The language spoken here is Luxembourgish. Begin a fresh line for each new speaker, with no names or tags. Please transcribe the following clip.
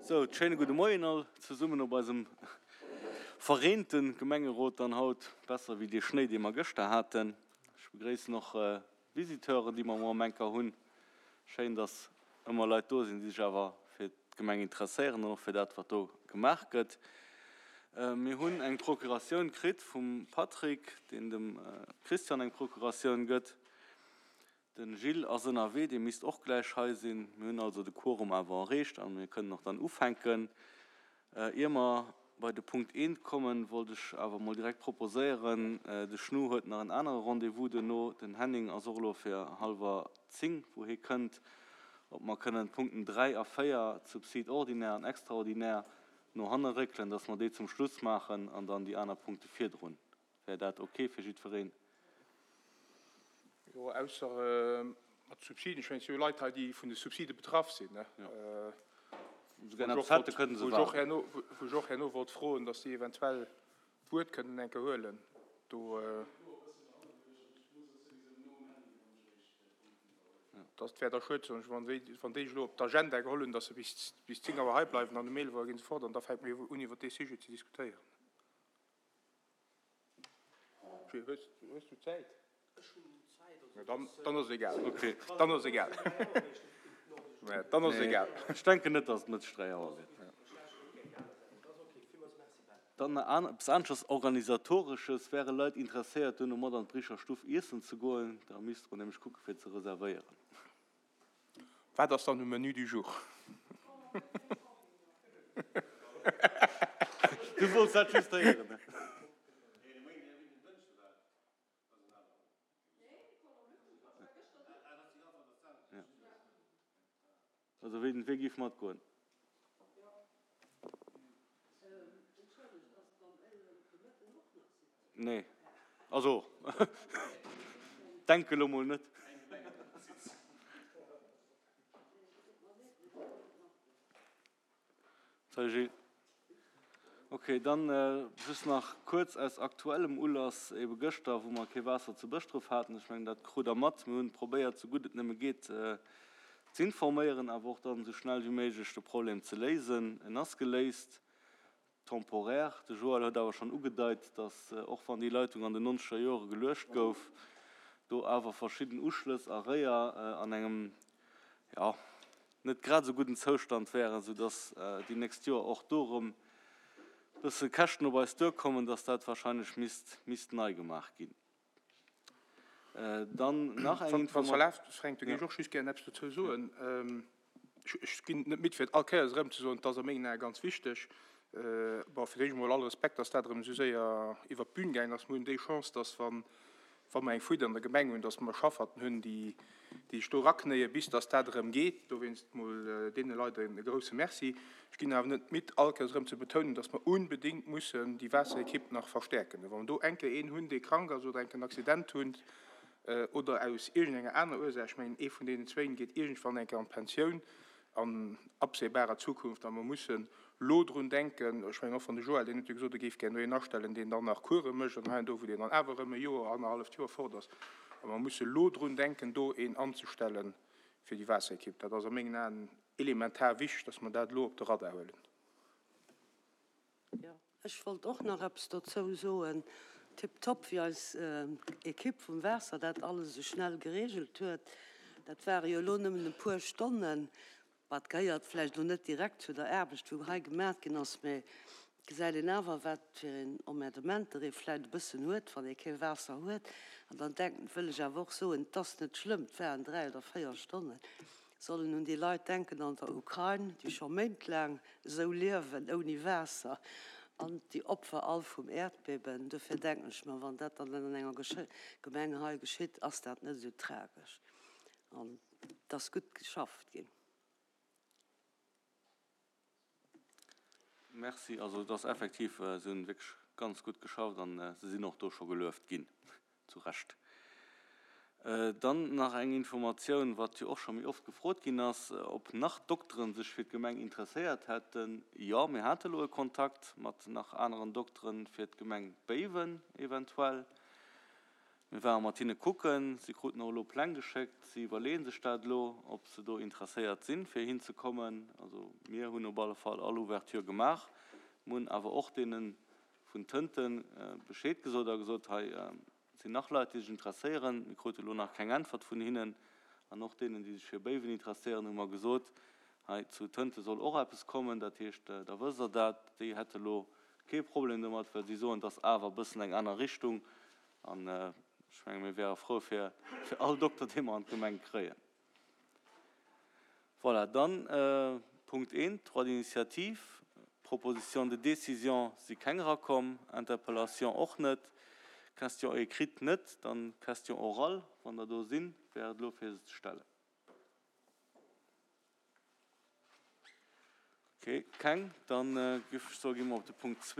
Sou, schéine gudde Moien all zesummen op eisem vereente Gemengerot dann haut, besser wéi dee Schnéi, dee mer gëschter haten. Ech begréissen och d'Visiteuren, déi mer muer am Enker hunn. Schéin, dass ëmmer Leit do sinn, déi sech awer fir d'Gemeng interesséieren an och fir dat, wat do gemaach gëtt. Mir hunn eng Procuratioun kritt vum Patrick, deen dem Christian eng Procuratioun gëtt. Den Gilles ass ënnerwee, dee misst och gläich hei sinn. Mir hunn also de Quorum awer erreecht a mir kënnen och dann ufänken. Ier mer bei de Punkt eent kommen, wollt ech awer emol direkt proposéieren, de Schnu huet nach en anere Rendez-vous duerno, den Henning ass och elo fir hallwer 10, wou hie kënnt, ob mer kënnen d'Punkten 3 a 4, d'Subside ordinaire an extraordinaire, no hanne réckelen, dass mer déi zum Schluss maachen an dann déi aner Punkte virdrun. Wär dat ok fir jiddwereen?
Jo, ausser mat Subsiden. Ech mengen, et si jo Leit hei, déi vun de Subside betraff sinn, ne? Wou ech och herno wollt froen, datt déi eventuell d'Wuert kënnen eng Kéier huelen do. Dat wär da schued, soen ech, wann déi sech elo op d'Agenda geholl hunn, datt se bis 10 Auer hei bleiwen an um 11 Auer gi se fort an da fänke mir un iwwert dee Sujet ze diskutéieren. Hues du Zäit? Dann ass et egal. Dann ass et egal. Dann ass et egal.
Ech denken net, datt et Mëtteg 3 Auer gëtt. Dann eppes aneschters Organisatoresches, Wäre Leit interesséiert, duerno mat an d'Bricher Stuff iessen ze goen? Da misste mer nämlech kucke fir ze reservéieren.
Wat ass dann um Menu du jour?
Du wollts dat just héieren, ne? Also wien géif matgoen? Nee, also denke lo mol net. Salut Gilles. Ok, dann just nach kuerz aus aktuellem Ulass, ebe gëschter, wou mer kee Waasser zu Bëschdref haten. Ech mengen, dat krut Der mat. Mir hunn probéiert, sou gutt et nëmme geet, z'informéieren, awer och dann esou schnell wéi méiglech de Problem ze léisen. En ass geléist, temporaire. De Joël huet awer schonn ugedeit, datt, och wann déi Leitung an den nonzeger Jore geluecht gouf, do awer verschidden Uschlëss a Réier an engem, jo, net grad esou gudden Zoustand wären, soudatt déi nächst Joer och do erëm e bësse Käschten op eis duerkommen, datt dat wahrscheinlech misst, misst nei gemaach ginn. Dann nach eng
Informatioun. Wann s erlaabt, Fränk, do géif ech och just gären eppes dozou soen. Ech ginn net midd, fir et all Kéiers erëm ze soen, et ass a mengen Ae ganz wichteg. Bon, fir d'éischt emol all Respekt, dass dat erëm esou séier iwwert d'Bün gaangen ass. Mir hunn déi Chance, dass, wa mer eng Fuite an der Gemeng hunn, dass mer Schafferten hunn, déi sech do eraknéien, bis dass dat erëm geet. Dowéinst emol deene Leit e grouse Merci. Ech ginn awer net midd, all Kéiers erëm ze betounen, dass mer unbedéngt mussen déi Waasserekipp nach verstäerken. Wa mer do eng Kéier een hunn, dee krank ass oder eng Kéier en Accident hunn, oder aus iergendenger aner Ursaach, ech mengen ee vun deenen zwéin geet iergendwann eng Kéier an d'Pensioun an absehbarer Zukunft, a mer mussen elo drun denken, ech mengen och wann de Joël, deen huet jo gesot, e géif gär no een astellen, deen dann nach Course mécht an hei an do, wou deen dann awer erëm e Joer, annerhalleft Joer fort ass, a mer musse elo drun denken, do een anzestelle fir déi Waasserekipp. Dat ass a mengen Aen elementar wichteg, dass mer dat elo op de Radar huelen.
Jo, ech wollt och nach eppes dozou soen. Tiptop, wéi eis Ekipp vum Waasser dat alles esou schnell geregelt huet. Dat ware jo elo nëmmen e puer Stonnen. Wat gehéiert vläicht elo net direkt zu der Aarbecht, wou hei gemat ginn ass, mä et gesäit een awer, wat fir een Emmerdementer ee vläicht e bëssen huet, wann ee kee Waasser huet. An dann denken, wëll ech awer och soen, et ass net schlëmm, et waren 3 oder 4 Stonnen. Sollen un déi Leit denken an der Ukrain, déi scho méintlaang esou liewen, ouni Waasser, an déi Opfer all vum Äerdbeben. Dofir denken ech mer, wann dat dann an enger Gemeng hei geschitt, ass dat net esou tragesch. An et ass gutt geschafft ginn.
Merci. Also et ass effektiv, se hunn wierklech ganz gutt geschafft an se sinn och do scho gelueft ginn, zu Recht. Dann nach eng Informatioun, wat jo och scho méi oft gefrot ginn ass, ob nach Dokteren sech fir d'Gemeng interesséiert hätten. Jo, mir hate lo e Kontakt mat nach aneren Dokteren fir d'Gemeng Béiwen eventuell. Mir ware mat hinne kucken. Si kruten och elo Pläng geschéckt. Si iwwerleeë sech dat elo, ob se do interesséiert sinn, fir hinzekommen. Also mir hunn op alle Fall all Ouverture gemaach. Mir hunn awer och deene vun Tënten Bescheed gesot a gesot, hei sinn nach Leit, déi sech interesséieren. Mir krute elo nach keng Äntwert vun hinnen. An och deenen, déi sech fir Béiwen interesséieren, hu mer gesot, hei zu Tënte soll och eppes kommen. Dat heescht, da wësst Der dat. Déi hätte elo kee Problem domat, well si soen, et ass awer e bëssen eng aner Richtung. An ech menge mir wäre frou fir all Dokter, dee mer an d'Gemeng kréien. Voilà, dann Punkt 1, Droit d'initiative. Propositions de décision si keng erakomm, Interpellation och net, Question écrite net, dann Question orale, wann der do sinn, wär et elo fir se ze stellen. Okay, keng. Dann géif ech soen, gi mer op de Punkt 2.